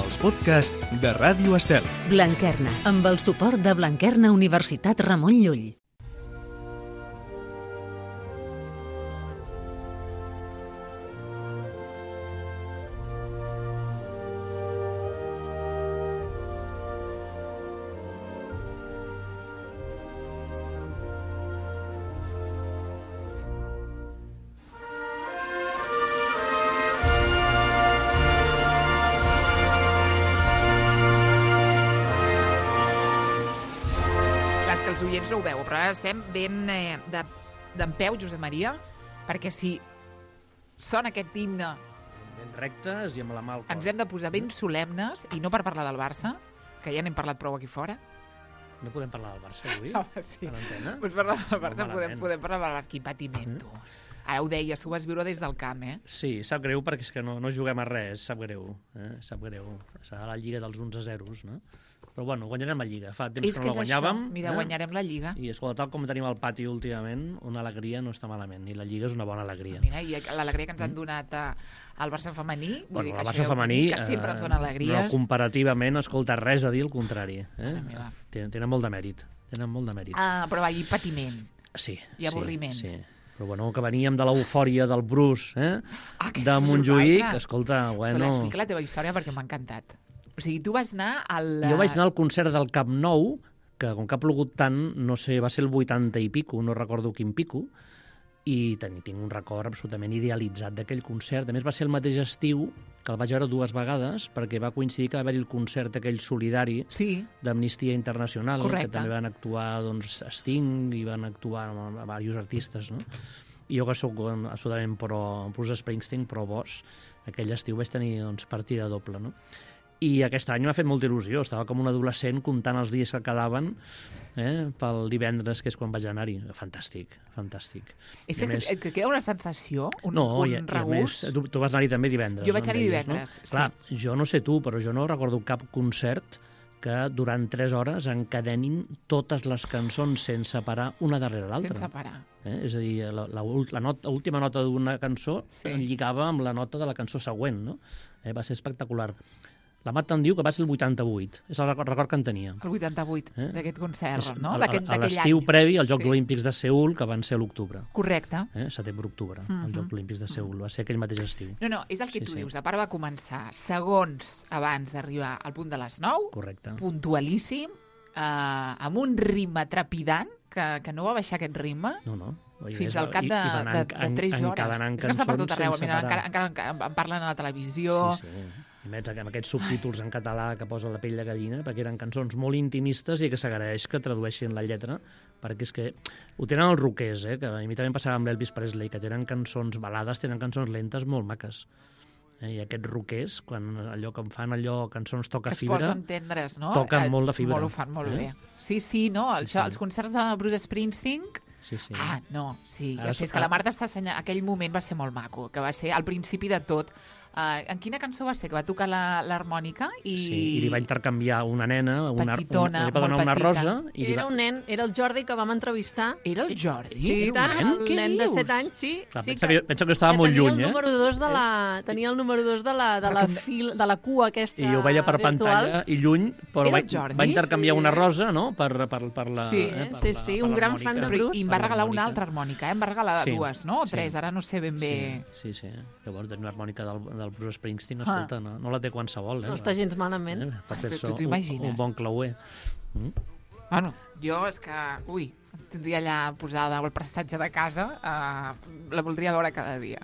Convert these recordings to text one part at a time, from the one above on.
els podcasts de Ràdio Estel. Blanquerna, amb el suport de Blanquerna Universitat Ramon Llull. Els oients no ho veu, però ara estem ben d'en peu, Josep Maria, perquè si sona aquest himne Ben rectes i amb la mà al cor. ens hem de posar ben solemnes, i no per parlar del Barça, que ja n'hem parlat prou aquí fora. No podem parlar del Barça avui? Home, sí. A l'antena? Pues parlar del Barça, malament. podem parlar del Barça. Quin patiment, tu. Ara ho deies, ho vas viure des del camp, eh? Sí, sap greu perquè és que no juguem a res, sap greu. Sap greu. Serà la Lliga dels 11-0, no? Però bueno, guanyarem la Lliga. Fa temps És que que no és la guanyàvem. això. Mira, guanyarem la Lliga. I escolta, tal com tenim al pati últimament, una alegria no està malament. I la Lliga és una bona alegria. Mira, i l'alegria que ens han donat al Barça femení, vull dir que el això Barça ja ho femení, tenim, que sempre ens dona alegries. no, comparativament, escolta, res a dir el contrari. meva. Tenen molt de mèrit. Tenen molt de mèrit. Però hi ha patiment. Sí. I avorriment. Sí. Però bueno, que veníem de l'eufòria del Bruce, Aquesta de és Montjuïc, una altra. escolta, bueno... Explica la teva història perquè m'ha encantat. O sigui, tu vas anar al... Jo vaig anar al concert del Camp Nou, que com que ha plogut tant, no sé, va ser el 80 i pico, no recordo quin pico, i tinc un record absolutament idealitzat d'aquell concert. A més, va ser el mateix estiu, que el vaig veure 2 vegades, perquè va coincidir que va haver-hi el concert aquell solidari Sí. d'Amnistia Internacional, Correcte. que també van actuar doncs, Sting i van actuar diversos artistes, no? I jo que sóc absolutament pro Bruce Springsteen, pro Boss, aquell estiu vaig tenir doncs, partida doble, no? I aquest any m'ha fet molta il·lusió. Estava com un adolescent comptant els dies que quedaven pel divendres, que és quan vaig anar-hi. Fantàstic, fantàstic. És I a que més- et queda una sensació, un i a regust. més, tu vas anar-hi també divendres. Jo vaig no? anar-hi Em deies, divendres, no? Clar, sí. jo no sé tu, però jo no recordo cap concert que durant 3 hores encadenin totes les cançons sense parar una darrere l'altra. Sense parar. És a dir, l'última nota d'una cançó Sí. lligava amb la nota de la cançó següent, no? Va ser espectacular. La Marta em diu que va ser el 88, és el record que en tenia. El 88, d'aquest concert, no? A D'aquell l'estiu any. previ als Jocs Sí. Olímpics de Seul, que van ser a l'octubre. Correcte. Setembre-octubre, els Jocs Olímpics de Seul. Va ser aquell mateix estiu. No, és el que Sí, tu sí. dius. La part va començar segons abans d'arribar al punt de les 9, Correcte. puntualíssim, amb un ritme trepidant, que no va baixar aquest ritme, No. fins al cap de 3 hores. encadenant És que està per tot cançons arreu. sense Mira, parar. encara en parlen a la televisió. Sí. I més amb aquests subtítols en català que posa la pell de gallina, perquè eren cançons molt intimistes i que s'agraeix que tradueixin la lletra, perquè és que ho tenen els rockers, que a mi també em passava amb l'Elvis Presley, que tenen cançons balades, tenen cançons lentes molt maques. I aquests rockers, quan fan allò, cançons toca Que es fibra, posen tendres, no? toquen molt de fibra. Molt ho fan molt bé. Sí, no? Els concerts de Bruce Springsteen... Sí. No, sí. Ara És que la Marta està assenyalant... Aquell moment va ser molt maco, que va ser al principi de tot. En quina cançó va ser? Que va tocar l'harmònica i... Sí, i li va intercanviar una nena, Petitona, li va donar molt una petita. rosa... I li Era va... un nen, era el Jordi que vam entrevistar. Era el Jordi? Sí, Era un tant, nen? el Què nen de dius? 7 anys, sí. Clar, sí pensa que estava molt lluny, tenia el número 2 de la cua aquesta I ho veia per virtual. pantalla i lluny, però Era el Jordi? va intercanviar Sí. una rosa, no?, per la... Sí, sí, un gran fan de Però Bruce. i em va regalar una altra harmònica, Em va regalar Sí, 2, no? O sí. 3, ara no sé ben bé... Sí. Llavors, tenir una harmònica del Bruce Springsteen, escolta, no la té qualsevol, No està gens malament. Per Tu fer-se t'ho imagines? un bon clauer. Bueno, jo és que... Ui, tindria allà posada el prestatge de casa, la voldria veure cada dia.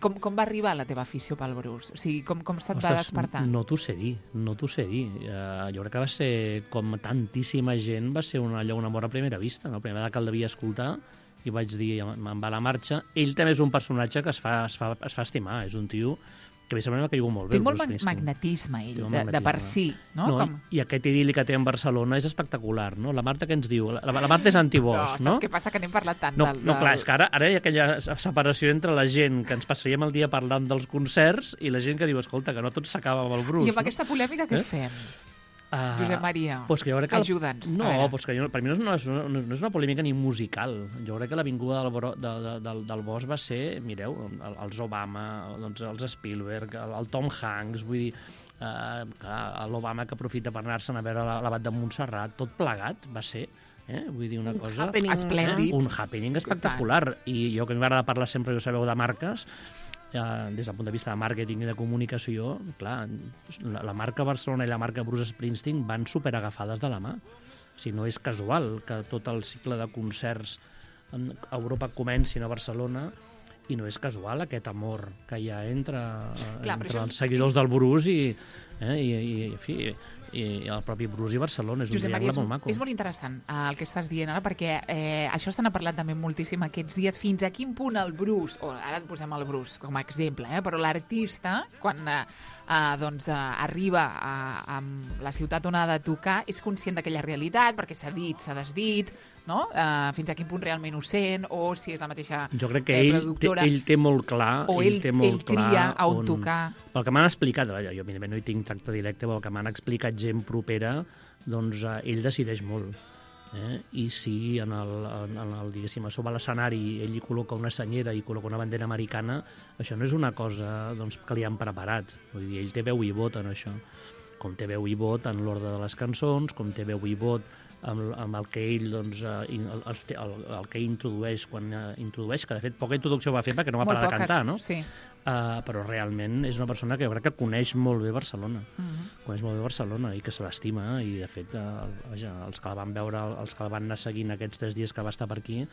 Com va arribar la teva afició pel Bruce? O sigui, com se't va despertar? No t'ho sé dir. Jo crec que va ser, com tantíssima gent, va ser una amor a primera vista, no? La primera vegada que el devia escoltar i vaig dir, me'n va a la marxa. Ell també és un personatge que es fa estimar, és un tio que a mi sembla que caigut molt bé. Té molt Bruce Springsteen. magnetisme, ell, Té molt de per magnetisme. si, no? I aquest idil·li que té en Barcelona és espectacular, no? La Marta què ens diu? La Marta és antibós, no? Saps què passa? Que n'hem parlat tant No, del... clar, és que ara hi ha aquella separació entre la gent que ens passaríem el dia parlant dels concerts i la gent que diu, escolta, que no tot s'acaba amb el Bruce. I amb aquesta polèmica què fem? Josep Maria, pues que jo crec que ajuda'ns. No, pues que per mi no és una polèmica ni musical. Jo crec que l'avinguda del Bosch va ser, mireu, els Obama, doncs els Spielberg, el Tom Hanks, vull dir, l'Obama que aprofita per anar-se'n a veure l'abat de Montserrat, tot plegat va ser, vull dir, una cosa... Esplèndid. Un happening espectacular. I jo, que m'agrada parlar sempre, ja sabeu, de marques, des del punt de vista de màrqueting i de comunicació, clar, la marca Barcelona i la marca Bruce Springsteen van superagafades de la mà. O sigui, no és casual que tot el cicle de concerts a Europa comencin a Barcelona, i no és casual aquest amor que hi ha entre els seguidors del Bruce i el propi Bruce i Barcelona. És un triangle molt maco. És molt interessant el que estàs dient ara, perquè això se n'ha parlat també moltíssim aquests dies. Fins a quin punt el Bruce, o ara et posem el Bruce com a exemple, però l'artista, quan arriba a la ciutat on ha de tocar, és conscient d'aquella realitat, perquè s'ha dit, s'ha desdit, no? Fins a quin punt realment ho sent, o si és la mateixa productora. Jo crec que ell té molt clar... O ell tria a on tocar. Pel que m'han explicat, jo evidentment no hi tinc tacte directe, però el que m'han explicat gent propera, doncs ell decideix molt. I si diguéssim, a sobre l'escenari ell hi col·loca una senyera i col·loca una bandera americana, això no és una cosa que li han preparat. Vull dir, ell té veu i vot en això. Com té veu i vot en l'ordre de les cançons, com té veu i vot amb el que ell el que introdueix quan introdueix, que de fet poca introducció va fer perquè no va parar de cantar, no? Sí. Però realment és una persona que jo crec que coneix molt bé Barcelona, coneix molt bé Barcelona i que se l'estima, i de fet els que la van veure, els que la van anar seguint aquests 3 dies que va estar per aquí,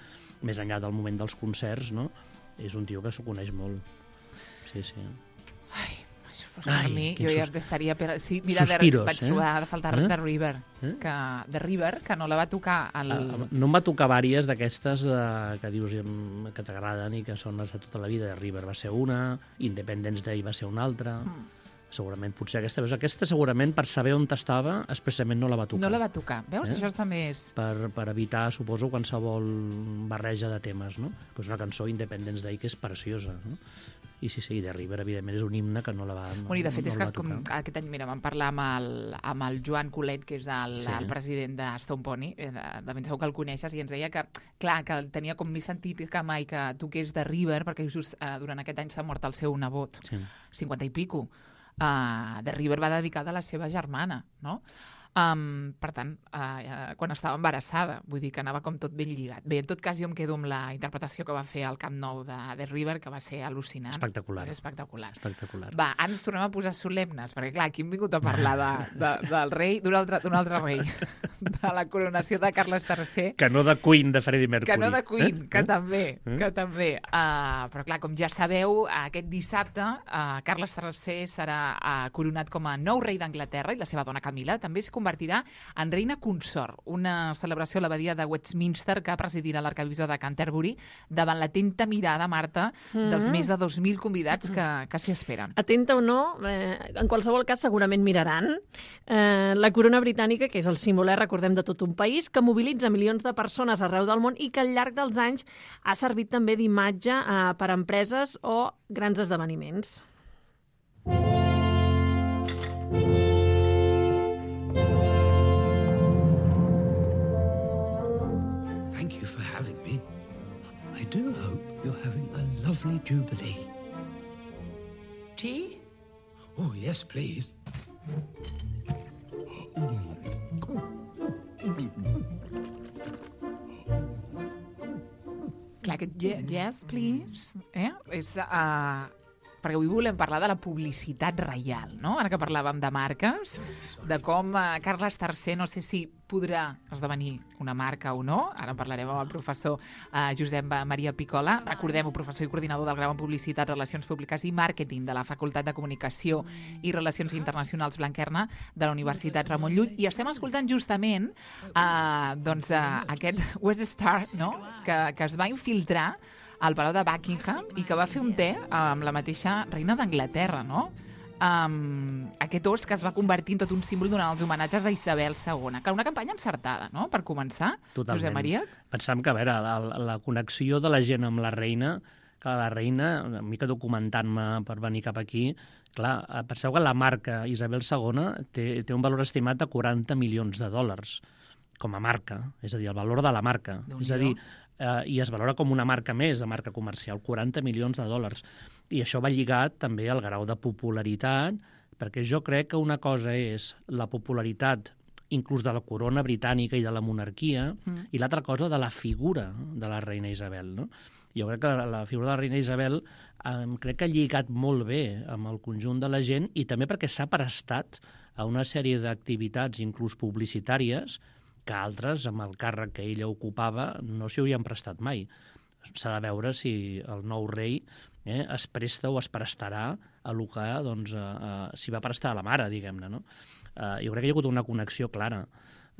més enllà del moment dels concerts, no? És un tio que s'ho coneix molt. Sí. Ai, si fos per mi, jo ja estaria... Mira, sospiros, vaig trobar de faltar The River, que no la va tocar... No em va tocar vàries d'aquestes que dius que t'agraden i que són les de tota la vida. The River va ser una, Independence Day va ser una altra... Segurament, potser aquesta segurament, per saber on estava, expressament no la va tocar. No la va tocar. Veus? Això també és... Per evitar, suposo, qualsevol barreja de temes, no? Pues una cançó, Independence Day, que és preciosa, no? I sí, The River, evidentment, és un himne que no la va tocar. I de fet, és que aquest any, mira, vam parlar amb el Joan Colet, que és el president de Stone Pony, de ben segur que el coneixes, i ens deia que, clar, que tenia com més sentit que mai que toqués The River, perquè just durant aquest any s'ha mort el seu nebot, 50 i pico. The River va dedicada a la seva germana, no? Per tant, quan estava embarassada, vull dir que anava com tot ben lligat. Bé, en tot cas, jo em quedo amb la interpretació que va fer al Camp Nou de The River, que va ser al·lucinant. Espectacular. Va, ara ens tornem a posar solemnes, perquè clar, aquí hem vingut a parlar del rei, d'un altre rei, de la coronació de Carles III. Que no de Queen, de Freddie Mercury. Que no de Queen, que també. Però clar, com ja sabeu, aquest dissabte Carles III serà coronat com a nou rei d'Anglaterra, i la seva dona Camila també es convertirà en reina consort, una celebració a l'abadia de Westminster que presidirà l'arcabisbe de Canterbury davant l'atenta mirada, Marta, dels més de 2.000 convidats que s'hi esperen. Atenta o no, en qualsevol cas segurament miraran. La corona britànica, que és el símbol, recordem, de tot un país, que mobilitza milions de persones arreu del món i que al llarg dels anys ha servit també d'imatge per a empreses o grans esdeveniments. I do hope you're having a lovely jubilee. Tea? Oh, yes, please. Clar, aquest yes, please, és... perquè avui volem parlar de la publicitat reial, no? Ara que parlàvem de marques, de com Carles III, no sé si podrà esdevenir una marca o no. Ara en parlarem amb el professor Josep Maria Picola. Recordem-ho, professor i coordinador del grau en Publicitat, Relacions Públiques i Màrqueting de la Facultat de Comunicació i Relacions Internacionals Blanquerna de la Universitat Ramon Llull. I estem escoltant justament aquest West Star, no? que es va infiltrar al Palau de Buckingham i que va fer un te amb la mateixa reina d'Anglaterra, no? Aquest os que es va convertir en tot un símbol donant els homenatges a Isabel II. Que una campanya encertada, no?, per començar. Totalment. Josep Maria? Pensam que, a veure, la connexió de la gent amb la reina que la reina, una mica documentant-me per venir cap aquí, clar, penseu que la marca Isabel II té un valor estimat de $40 milions com a marca, és a dir, el valor de la marca. És a dir, i es valora com una marca més de marca comercial, $40 milions. I això va lligat també al grau de popularitat, perquè jo crec que una cosa és la popularitat inclús de la corona britànica i de la monarquia, i l'altra cosa de la figura de la reina Isabel, no? Jo crec que la figura de la reina Isabel crec que ha lligat molt bé amb el conjunt de la gent i també perquè s'ha prestat a una sèrie d'activitats, inclús publicitàries, que altres, amb el càrrec que ella ocupava, no s'hi haurien prestat mai. S'ha de veure si el nou rei es presta o es prestarà a el que s'hi va prestar a la mare, diguem-ne, no? Jo crec que hi ha hagut una connexió clara.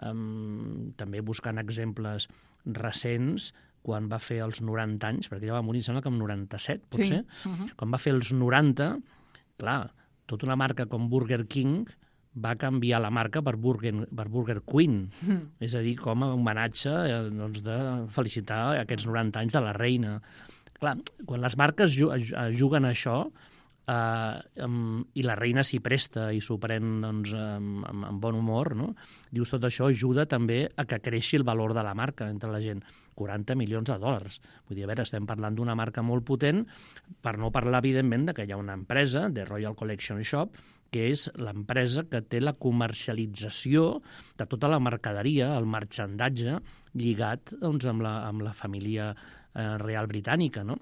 També buscant exemples recents, quan va fer els 90 anys, perquè ella va morir, sembla que amb 97, potser, quan va fer els 90, clar, tota una marca com Burger King va canviar la marca per Burger Queen, és a dir, com a homenatge de felicitar aquests 90 anys de la reina. Clar, quan les marques juguen a això, i la reina s'hi presta i s'ho pren amb bon humor, no? Dius, tot això ajuda també a que creixi el valor de la marca entre la gent. $40 milions. Vull dir, a veure, estem parlant d'una marca molt potent, per no parlar, evidentment, que hi ha una empresa, The Royal Collection Shop, que és l'empresa que té la comercialització de tota la mercaderia, el marxandatge, lligat amb la família real britànica, no?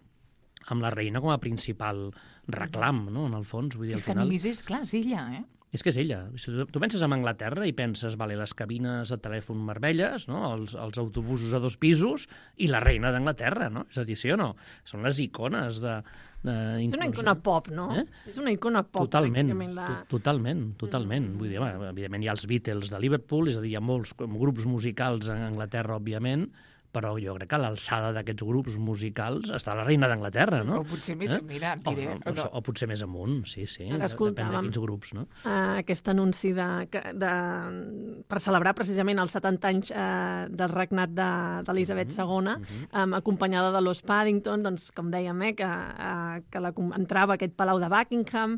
Amb la reina com a principal reclam, no?, en el fons. Vull dir, és que només és ella, eh? És que és ella. Si tu penses en Anglaterra i penses, les cabines de telèfon vermelles, no?, els autobusos a 2 pisos i la reina d'Anglaterra, no? És a dir, sí o no? Són les icones de... És una icona pop, no? És una icona pop. Totalment. Vull dir, evidentment hi ha els Beatles de Liverpool, és a dir, hi ha molts grups musicals a Anglaterra, òbviament, però jo crec que a l'alçada d'aquests grups musicals està la reina d'Anglaterra, no? O potser més mira, diré. O potser més amunt, sí. Escoltàvem, depèn de quins grups, no? Aquest anunci per celebrar precisament els 70 anys del regnat d'Elisabet II, acompanyada de Los Paddington, doncs, com dèiem, que entrava a aquest palau de Buckingham,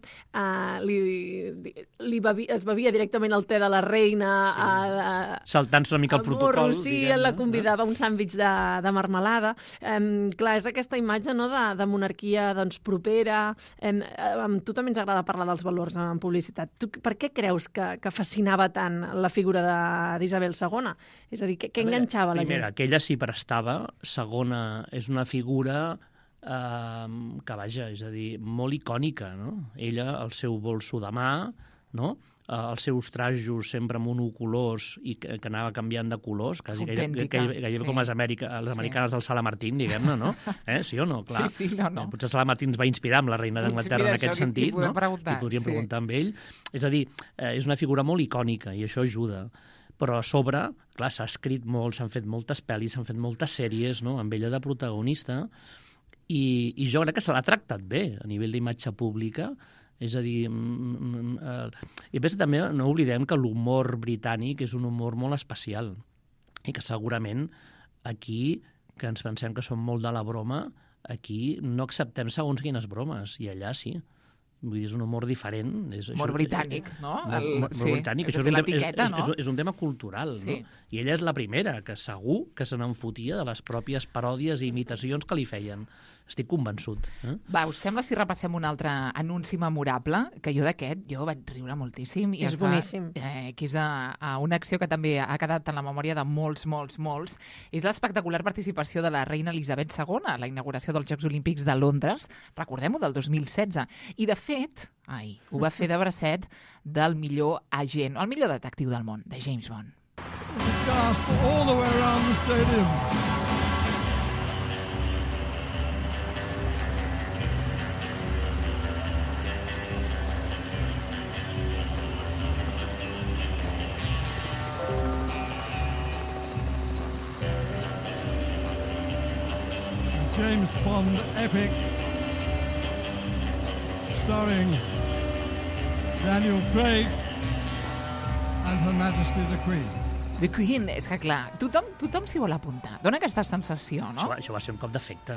es bevia directament el te de la reina, saltant-se una mica el protocol. Sí, la convidava a un sàndwich de marmelada. Clar, és aquesta imatge, no?, de monarquia propera. A tu també ens agrada parlar dels valors en publicitat. Tu, per què creus que fascinava tant la figura d'Isabel II? És a dir, què enganxava la gent? Primera, que ella s'hi prestava. Segona, és una figura que, vaja, és a dir, molt icònica, no? Ella, el seu bolso de mà, no?, els seus trajos sempre monocolors i que anava canviant de colors, quasi gairebé com les americanes del Sala Martín, diguem-ne, no? Sí o no? Clar. Sí, no. Potser Sala Martín es va inspirar amb la reina d'Anglaterra en aquest sentit, no? I podríem preguntar amb ell. És a dir, és una figura molt icònica i això ajuda. Però a sobre, clar, s'ha escrit molt, s'han fet moltes pel·lis, s'han fet moltes sèries, no?, amb ella de protagonista, i jo crec que se l'ha tractat bé a nivell d'imatge pública. És a dir, i a més també no oblidem que l'humor britànic és un humor molt especial i que segurament aquí, que ens pensem que som molt de la broma, aquí no acceptem segons quines bromes, i allà sí. Vull dir, és un humor diferent. Humor britànic, no? Humor britànic. Això és un tema cultural, no? I ella és la primera que segur que se n'enfotia de les pròpies paròdies i imitacions que li feien. Estic convençut. Va, us sembla si repassem un altre anunci memorable? Que jo vaig riure moltíssim. És boníssim. Que és una acció que també ha quedat en la memòria de molts. És l'espectacular participació de la reina Elisabet II a la inauguració dels Jocs Olímpics de Londres, recordem-ho, del 2016. I, de fet, ho va fer de bracet del millor agent, el millor detectiu del món, de James Bond. Gasp all the way around the stadium. James Bond epic, starring Daniel Craig and Her Majesty the Queen. The Queen, és que clar, tothom s'hi vol apuntar. Dóna aquesta sensació, no? Això va ser un cop d'efecte.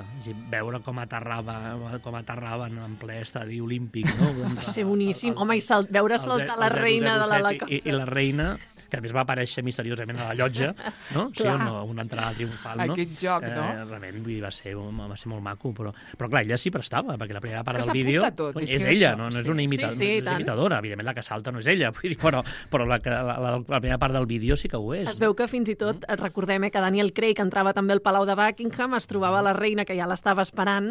Veure com aterraven en ple estadi olímpic, no? Va ser boníssim. Home, i veure saltar la reina de l'helicòpter. I la reina, que a més va aparèixer misteriosament a la llotja, no? Sí, una entrada triomfal, no? Aquest joc, no? Realment, vull dir, va ser molt maco, però clar, ella s'hi prestava, perquè la primera part del vídeo és ella, no és una imitadora. Evidentment, la que salta no és ella, vull dir, però la primera part del vídeo sí que ho és. Es veu que fins i tot, recordem que Daniel Craig entrava també al Palau de Buckingham, es trobava la reina que ja l'estava esperant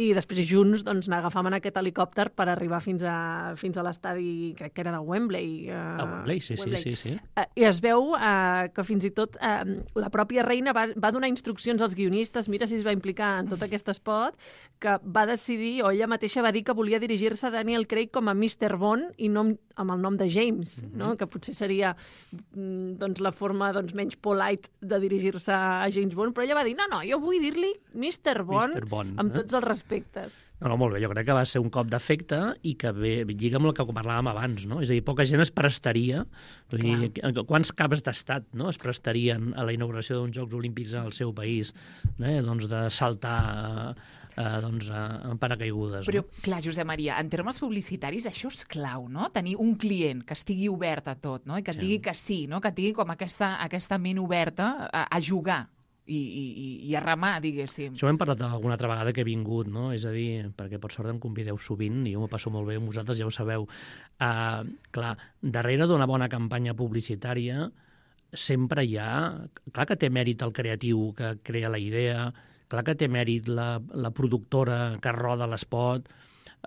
i després junts n'agafaven aquest helicòpter per arribar fins a l'estadi, crec que era de Wembley. A Wembley, sí. I es veu que fins i tot la pròpia reina va donar instruccions als guionistes, mira si es va implicar en tot aquest spot, que va decidir, o ella mateixa va dir que volia dirigir-se a Daniel Craig com a Mr. Bond i no amb el nom de James, no? Que potser seria la forma menys polite de dirigir-se a James Bond, però ella va dir, no, jo vull dir-li Mr. Bond, amb tots els respectes. No, molt bé, jo crec que va ser un cop d'efecte i que lliga amb el que parlàvem abans, no? És a dir, poca gent es prestaria, quants caps d'estat, no?, es prestarien a la inauguració d'uns Jocs Olímpics al seu país, doncs de saltar en paracaigudes. Però, clar, Josep Maria, en termes publicitaris això és clau, no? Tenir un client que estigui obert a tot, no? I que et digui que sí, no? Que tingui com aquesta ment oberta a jugar i a remar, diguéssim. Això ho hem parlat alguna altra vegada que he vingut, no? És a dir, perquè per sort em convideu sovint i jo m'ho passo molt bé amb vosaltres, ja ho sabeu. Clar, darrere d'una bona campanya publicitària sempre hi ha... Clar que té mèrit el creatiu que crea la idea, clar que té mèrit la productora que roda l'espot.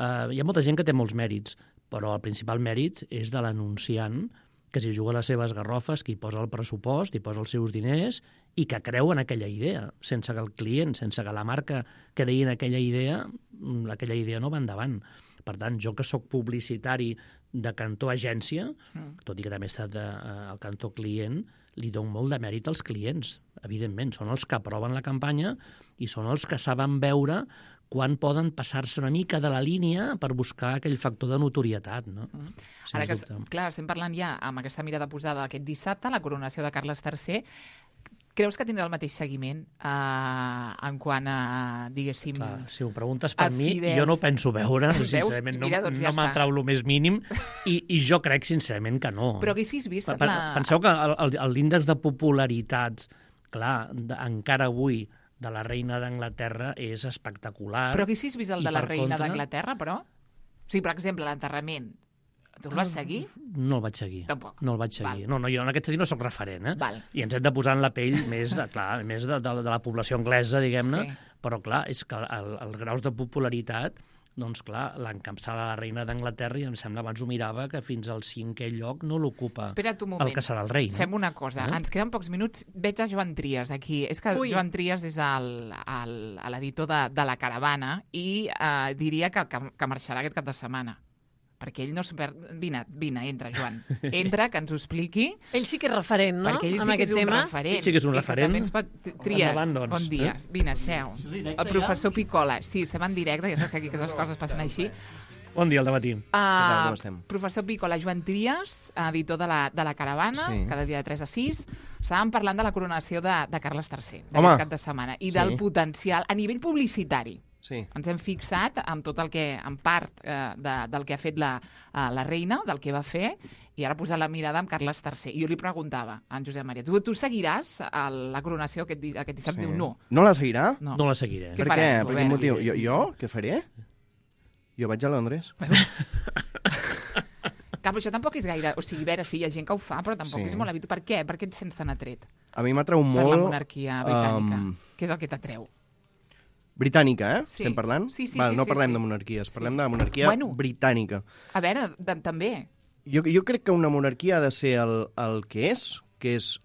Hi ha molta gent que té molts mèrits, però el principal mèrit és de l'anunciant que s'hi juga les seves garrofes, que hi posa el pressupost, hi posa els seus diners i que creu en aquella idea, sense que el client, sense que la marca creï en aquella idea no va endavant. Per tant, jo que sóc publicitari de cantó agència, tot i que també he estat al cantó client, li dono molt de mèrit als clients, evidentment. Són els que aproven la campanya i són els que saben veure quan poden passar-se una mica de la línia per buscar aquell factor de notorietat, no? Ara que, clar, estem parlant ja amb aquesta mirada posada aquest dissabte, la coronació de Carles III, creus que tindrà el mateix seguiment en quant a, diguéssim... Clar, si ho preguntes per mi, jo no penso veure, sincerament, no m'atrau el més mínim, i jo crec, sincerament, que no. Però haguessis vist... Penseu que l'índex de popularitat, clar, encara avui, de la reina d'Anglaterra és espectacular. Però haguessis vist el de la reina d'Anglaterra, però? O sigui, per exemple, l'enterrament. Tu el vas seguir? No el vaig seguir. Tampoc? No el vaig seguir. No, jo en aquest sentit no sóc referent, Val. I ens hem de posar en la pell més de la població anglesa, diguem-ne, però clar, és que els graus de popularitat, doncs clar, l'encapçala la reina d'Anglaterra i em sembla, abans ho mirava, que fins al 5è lloc no l'ocupa el que serà el rei. Fem una cosa, ens queden pocs minuts. Veig a Joan Trias aquí. És que Joan Trias és l'editor de La Caravana i diria que marxarà aquest cap de setmana. Perquè ell no s'ho perd... Vine, entra, Joan. Entra, que ens ho expliqui. Ell sí que és referent, no? Perquè ell sí que és un referent. Ell sí que és un referent. Trias, bon dia. Vine, seu. El professor Picola. Sí, estem en directe, ja saps que aquí aquestes coses passen així. Bon dia al dematí. Com estem? Professor Picola, Joan Trias, editor de la Caravana, cada dia de 3 a 6. Estàvem parlant de la coronació de Carles III, d'aquest cap de setmana, i del potencial a nivell publicitari. Sí. Ens hem fixat en tot el que, en part del que ha fet la reina, del que va fer, i ara posar la mirada amb Carles III. I jo li preguntava a en Josep Maria, tu seguiràs la coronació aquest dissabte? Diu no. No la seguirà? No la seguiré. Per què? Per quin motiu? Jo? Què faré? Jo vaig a Londres. Clar, però això tampoc és gaire... O sigui, a veure, sí, hi ha gent que ho fa, però tampoc és molt habitual. Per què? Per què et sents tan atret? A mi m'atreu molt... Per la monarquia britànica. Què és el que t'atreu? Britànica, Sí. Estem parlant? Sí, no parlem de monarquies, parlem de la monarquia britànica. A veure, també. Jo crec que una monarquia ha de ser el que és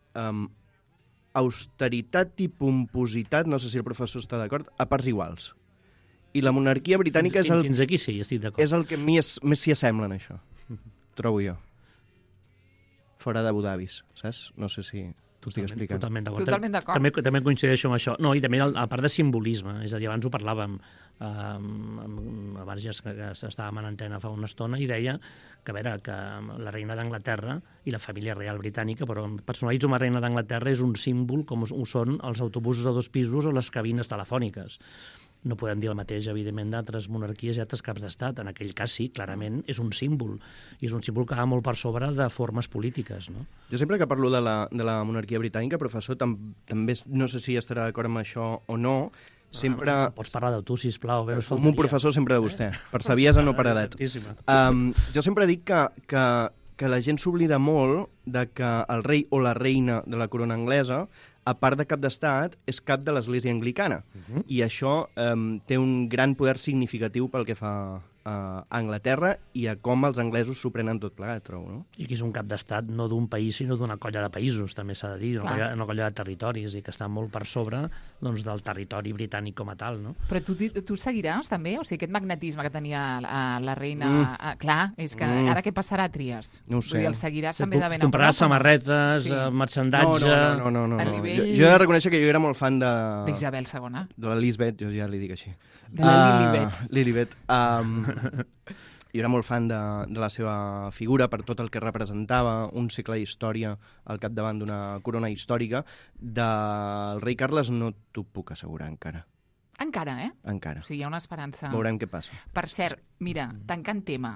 austeritat i pompositat, no sé si el professor està d'acord, a parts iguals. I la monarquia britànica Fins aquí sí, estic d'acord. És el que més s'hi assembla en això, trobo jo. Fora d'Abu Dhabi, saps? No sé si... Totalment d'acord. Totalment d'acord. També coincideixo amb això. No, i també a part de simbolisme, és a dir, abans ho parlàvem, abans ja que estàvem en antena fa una estona, i deia que, a veure, que la reina d'Anglaterra i la família real britànica, però personalitzo amb la reina d'Anglaterra, és un símbol com ho són els autobusos de 2 pisos o les cabines telefòniques. No podem dir el mateix, evidentment, d'altres monarquies i altres caps d'estat. En aquell cas, sí, clarament, és un símbol. I és un símbol que va molt per sobre de formes polítiques, no? Jo sempre que parlo de la monarquia britànica, professor, també no sé si estarà d'acord amb això o no, sempre... Pots parlar de tu, sisplau. Com un professor sempre de vostè, per saviesa no per edat. Jo sempre dic que la gent s'oblida molt de que el rei o la reina de la corona anglesa, a part de cap d'estat, és cap de l'Església Anglicana. I això té un gran poder significatiu pel que fa a Anglaterra i a com els anglesos s'ho prenen tot plegat, trobo, no? I que és un cap d'estat no d'un país, sinó d'una colla de països, també s'ha de dir, una colla de territoris, i que està molt per sobre doncs, del territori britànic com a tal, no? Però tu seguiràs, també? O sigui, aquest magnetisme que tenia la reina... Clar, és que ara què passarà a Trias? No ho sé. Vull dir, el seguiràs també de ben a prop? Compraràs samarretes, merchandatge... No. Nivell... Jo he de reconèixer que jo era molt fan de... D'Isabel II. De l'Elisabet, jo ja li dic així. De la Lilibet. Jo era molt fan de la seva figura per tot el que representava, un segle d'història al capdavant d'una corona històrica. Del rei Carles no t'ho puc assegurar encara. Encara, eh? Encara. O sigui, hi ha una esperança. Veurem què passa. Per cert, mira, tancant tema,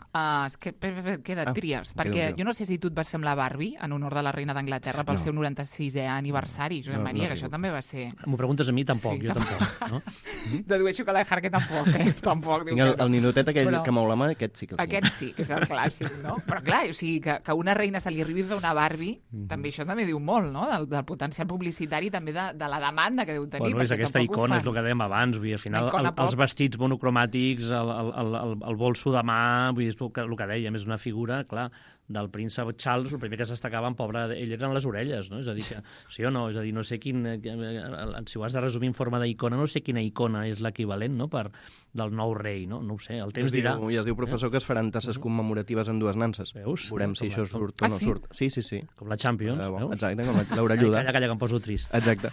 queda Trias, perquè Déu. jo no sé si tu et vas fer amb la Barbie en honor de la reina d'Anglaterra pel seu 96è aniversari, Josep Maria, que això també va ser... M'ho preguntes a mi? Tampoc, Sí, jo tampoc. No? Dedueixo que la de Harker tampoc, tampoc. Tinc el ninotet aquell que mou la mà, aquest sí que el tinc. Aquest sí, que és el clàssic, no? Però clar, o sigui, que una reina se li arribi a fer una Barbie, també això també diu molt, no? Del potencial publicitari, també de la demanda que deu tenir. Bueno, és aquesta icona, és el que dèiem abans, vull dir, al final els vestits monocromàtics, el bolso de mà, vull dir, és el que dèiem, és una figura, clar, del príncep Charles, el primer que es destacaven, pobre, ell eren les orelles, no? És a dir, que, sí o no? És a dir, no sé quin... Si ho has de resumir en forma d'icona, no sé quina icona és l'equivalent, no?, del nou rei, no? No ho sé, el temps dirà. I es diu, professor, que es faran tasses commemoratives en 2 nanses. Veus? Veurem si això surt o no surt. Sí. Com la Champions, veus? Exacte, com l'Orelluda. Calla, que em poso trist. Exacte.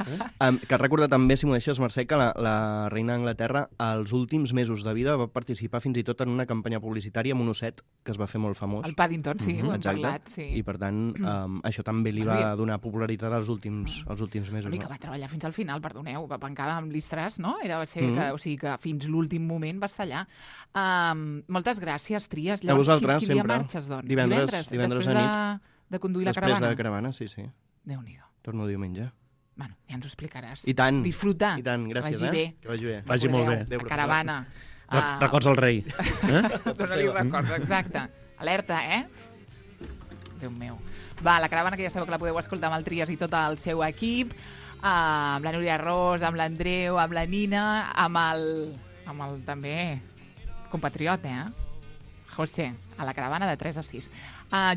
Cal recordar també, si m'ho deixes, Mercè, que la reina d'Anglaterra, als últims mesos de vida, va participar fins i tot en una campanya publicitària amb un osset que es va fer molt famós. El Paddington, sí, ho hem parlat, sí. I, per tant, això també li va donar popularitat als últims mesos. I que va treballar fins al final, perdoneu, va pencar amb l'Istras, no? O sigui que fins l'últim moment va estar allà. Moltes gràcies, Trias. Llavors, a vosaltres, quin dia sempre. marxes, doncs? Divendres a nit. De conduir la caravana? Després de la caravana, sí. Déu-n'hi-do. Torno diumenge. Bueno, ja ens ho explicaràs. I tant. Disfrutar. I tant, gràcies, Que vagi bé. Vagi molt bé. La caravana. Records al rei. Dóna-li records, exacte. Alerta, Déu meu. Va, la caravana, que ja sabeu que la podeu escoltar amb el Trias i tot el seu equip, amb la Núria Ros, amb l'Andreu, amb la Nina, amb el també compatriota, José, a la caravana de 3 a 6.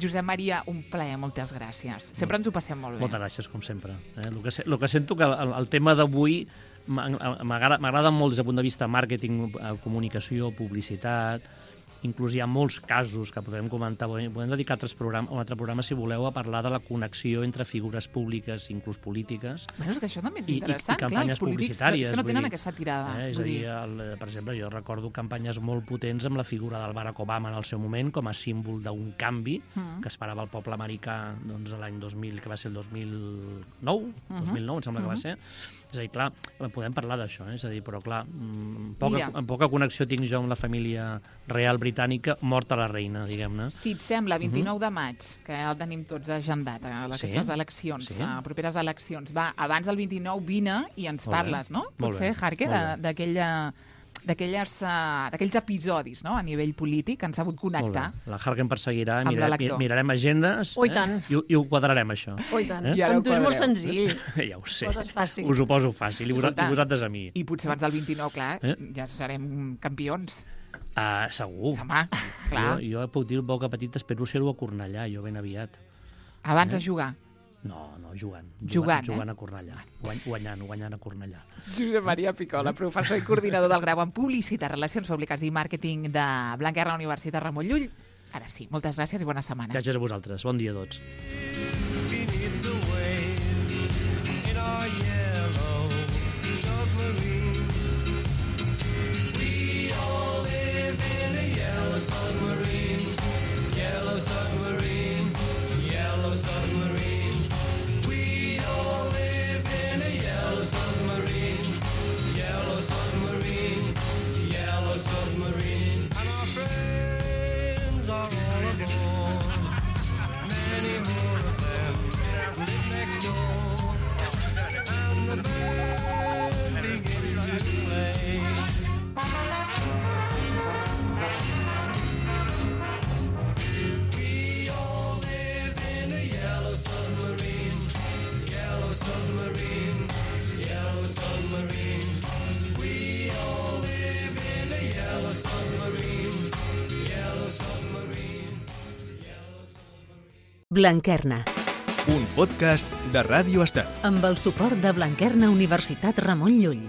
Josep Maria, un plaer, moltes gràcies. Sempre ens ho passem molt bé. Moltes gràcies, com sempre. El que sento que el tema d'avui m'agrada molt des del punt de vista màrqueting, comunicació, publicitat. Inclús hi ha molts casos que podem comentar. Podem dedicar un altre programa, si voleu, a parlar de la connexió entre figures públiques, inclús polítiques. Bueno, és que això també és interessant. I campanyes publicitàries. És que no tenen aquesta tirada. És a dir, per exemple, jo recordo campanyes molt potents amb la figura del Barack Obama en el seu moment, com a símbol d'un canvi que esperava el poble americà l'any 2000, que va ser el 2009, em sembla que va ser. És a dir, clar, podem parlar d'això, és a dir, però clar, poca connexió tinc jo amb la família real britànica, morta la reina, diguem-ne. Si et sembla, 29 de maig, que el tenim tots agendat, aquestes eleccions, properes eleccions. Va, abans del 29 vine i ens parles, no? Potser, Harker, d'aquells episodis, no?, a nivell polític, que han sabut connectar. La Harker em perseguirà, mirarem agendes i ho quadrarem, això. I tant. Amb tu és molt senzill. Ja ho sé. Poses fàcil. Us ho poso fàcil, i vosaltres a mi. I potser abans del 29, clar, ja serem campions. Segur. Home, clar. Jo puc dir, boca petita, espero ser-ho a Cornellà, jo ben aviat. Abans de jugar? No, jugant a Cornellà. Guanyant a Cornellà. Josep Maria Picola, professor i coordinador del grau en Publicitat, Relacions Públiques i Màrqueting de Blanquerna, Universitat Ramon Llull. Ara sí, moltes gràcies i bona setmana. Gràcies a vosaltres. Bon dia a tots. a yellow submarine. We all live in a yellow submarine. Yellow submarine, yellow submarine. We all live in a yellow submarine. Yellow submarine, yellow submarine. And our friends are all aboard. Many more of them live next door. And the band begins to play. We all live in a yellow submarine. Yellow submarine, yellow submarine. We all live in a yellow submarine. Yellow submarine. Yellow submarine. Blanquerna, Un podcast de Ràdio Estel. amb el suport de Blanquerna Universitat Ramon Llull.